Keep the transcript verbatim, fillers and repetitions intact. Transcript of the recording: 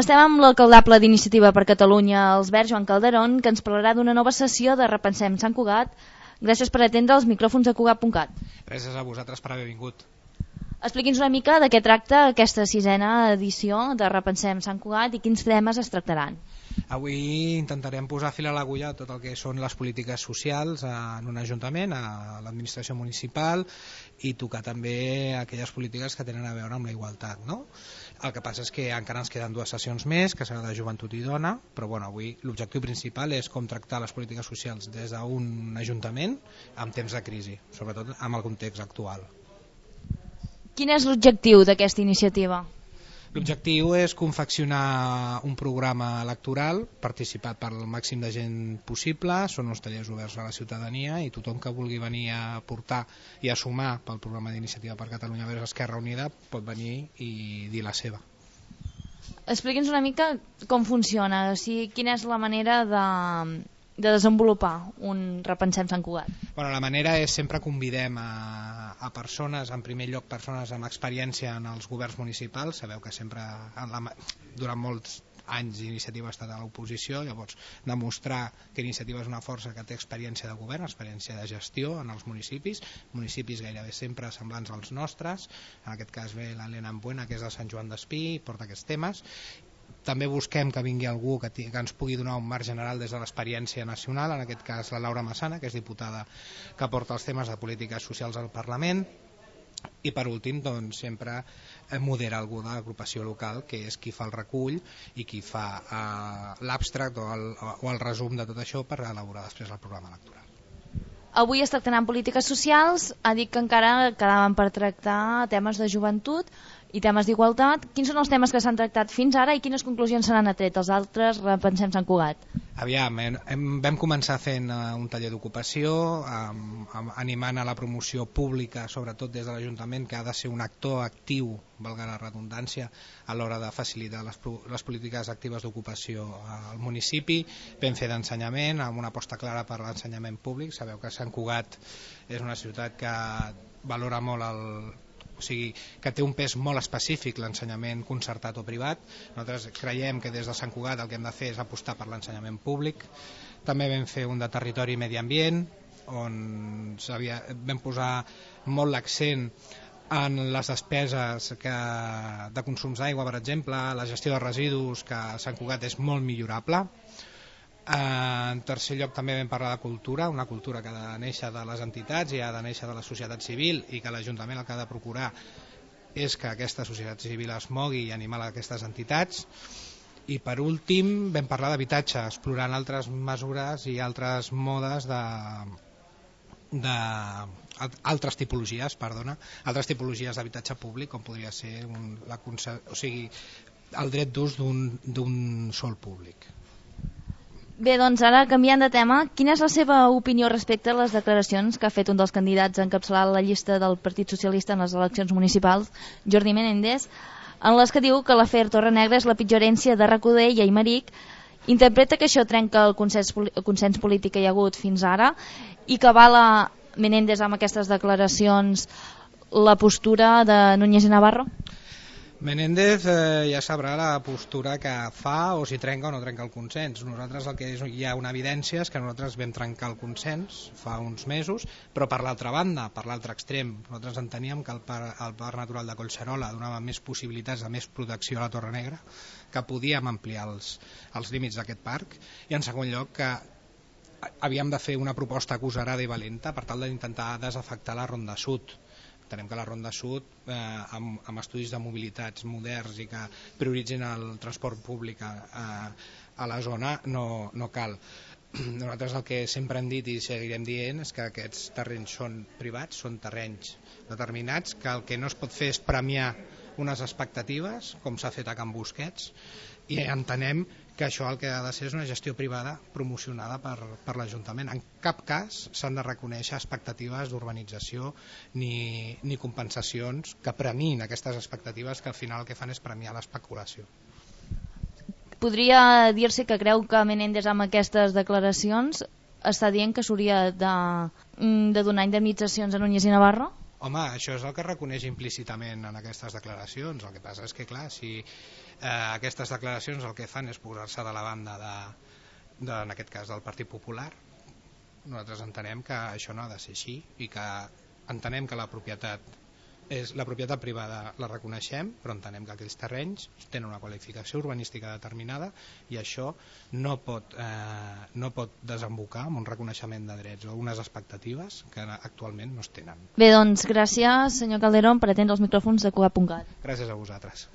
Estem amb l'alcaldable d'Iniciativa per Catalunya, els Verds, Joan Calderón, que ens parlarà d'una nova sessió de Repensem Sant Cugat. Gràcies per atendre els micròfons de Cugat punt cat. Gràcies a vosaltres per haver vingut. Expliqui'ns una mica de què tracta aquesta sisena edició de Repensem Sant Cugat i quins temes es tractaran. Avui intentarem posar fil a l'agulla tot el que són les polítiques socials en un ajuntament, a l'administració municipal, i tocar també aquelles polítiques que tenen a veure amb la igualtat, no? El que passa és que encara ens queden dues sessions més, que serà de joventut i dona, però bueno, avui l'objectiu principal és com tractar les polítiques socials des d'un ajuntament en temps de crisi, sobretot amb el context actual. Quin és l'objectiu d'aquesta iniciativa? L'objectiu és confeccionar un programa electoral participat per el màxim de gent possible. Són uns tallers oberts a la ciutadania i tothom que vulgui venir a portar i a sumar pel programa d'Iniciativa per Catalunya vers Esquerra Unida pot venir i dir la seva. Expliqui'ns una mica com funciona, o sigui, quina és la manera de... de desenvolupar un Repensem Sant Cugat. Bueno, la manera és sempre convidem a, a persones, en primer lloc persones amb experiència en els governs municipals. Sabeu que sempre en la, durant molts anys Iniciativa ha estat a l'oposició, llavors demostrar que Iniciativa és una força que té experiència de govern, experiència de gestió en els municipis, municipis gairebé sempre semblants als nostres. En aquest cas ve l'Helena Ambuena, que és de Sant Joan d'Espí, i porta aquests temes. També busquem que vingui algú que, que ens pugui donar un marc general des de l'experiència nacional, en aquest cas la Laura Massana, que és diputada que porta els temes de polítiques socials al Parlament, i per últim doncs, sempre modera algú de l'agrupació local, que és qui fa el recull i qui fa eh, l'abstract o, el, o el resum de tot això per elaborar després el programa electoral. Avui es tractaran polítiques socials, ha dit que encara quedaven per tractar temes de joventut i temes d'igualtat. Quins són els temes que s'han tractat fins ara i quines conclusions se n'han atret els altres Repensem Sant Cugat? Aviam, hem, vam començar fent uh, un taller d'ocupació, um, um, animant a la promoció pública, sobretot des de l'Ajuntament, que ha de ser un actor actiu, valga la redundància, a l'hora de facilitar les, les polítiques actives d'ocupació al municipi. Vam fer d'ensenyament, amb una aposta clara per l'ensenyament públic. Sabeu que Sant Cugat és una ciutat que valora molt el... o sigui, que té un pes molt específic l'ensenyament concertat o privat. Nosaltres creiem que des de Sant Cugat el que hem de fer és apostar per l'ensenyament públic. També vam fer un de territori i medi ambient, on vam posar molt l'accent en les despeses que, de consums d'aigua, per exemple, la gestió de residus, que a Sant Cugat és molt millorable. En tercer lloc també vam parlar de cultura, una cultura que ha de néixer de les entitats i ha de néixer de la societat civil, i que l'Ajuntament el que ha de procurar és que aquesta societat civil es mogui i animar aquestes entitats. I per últim vam parlar d'habitatge, explorant altres mesures i altres modes de, de altres tipologies, perdona, altres tipologies d'habitatge públic, com podria ser un, la, o sigui, el dret d'ús d'un sòl públic. Bé, doncs ara canviant de tema, quina és la seva opinió respecte a les declaracions que ha fet un dels candidats a encapçalar la llista del Partit Socialista en les eleccions municipals, Jordi Menéndez, en les que diu que l'afer Torrenegra és la pitjor herència de Recoder i Aymeric, interpreta que això trenca el consens, el consens polític que hi ha hagut fins ara i que avala Menéndez amb aquestes declaracions la postura de Núñez i Navarro? Menéndez eh, ja sabrà la postura que fa, o si trenca o no trenca el consens. Nosaltres el que és, hi ha una evidència és que nosaltres vam trencar el consens fa uns mesos, però per l'altra banda, per l'altre extrem, nosaltres enteníem que el parc, el parc natural de Collserola donava més possibilitats de més protecció a la Torre Negra, que podíem ampliar els, els límits d'aquest parc, i en segon lloc que havíem de fer una proposta agosarada i valenta per tal d'intentar desafectar la Ronda Sud. Entenem que la Ronda Sud, eh, amb, amb estudis de mobilitats moderns i que prioritzin el transport públic a, a, a la zona, no, no cal. Nosaltres el que sempre hem dit i seguirem dient és que aquests terrenys són privats, són terrenys determinats, que el que no es pot fer és premiar unes expectatives, com s'ha fet a Can Busquets, i entenem que això el que ha de ser és una gestió privada promocionada per, per l'Ajuntament. En cap cas s'han de reconèixer expectatives d'urbanització ni, ni compensacions que premin aquestes expectatives, que al final el que fan és premiar l'especulació. Podria dir-se que creu que Menéndez amb aquestes declaracions està dient que s'hauria de, de donar indemnitzacions a Núñez i Navarro? Home, això és el que reconeix implícitament en aquestes declaracions. El que passa és que, clar, si eh, aquestes declaracions el que fan és posar-se de la banda de, de, en aquest cas, del Partit Popular, nosaltres entenem que això no ha de ser així i que entenem que la propietat és la propietat privada la reconeixem, però entenem que aquells terrenys tenen una qualificació urbanística determinada i això no pot, eh, no pot desembocar en un reconeixement de drets o unes expectatives que actualment no es tenen. Bé, doncs gràcies senyor Calderón per atendre els micròfons de Cugat punt cat. Gràcies a vosaltres.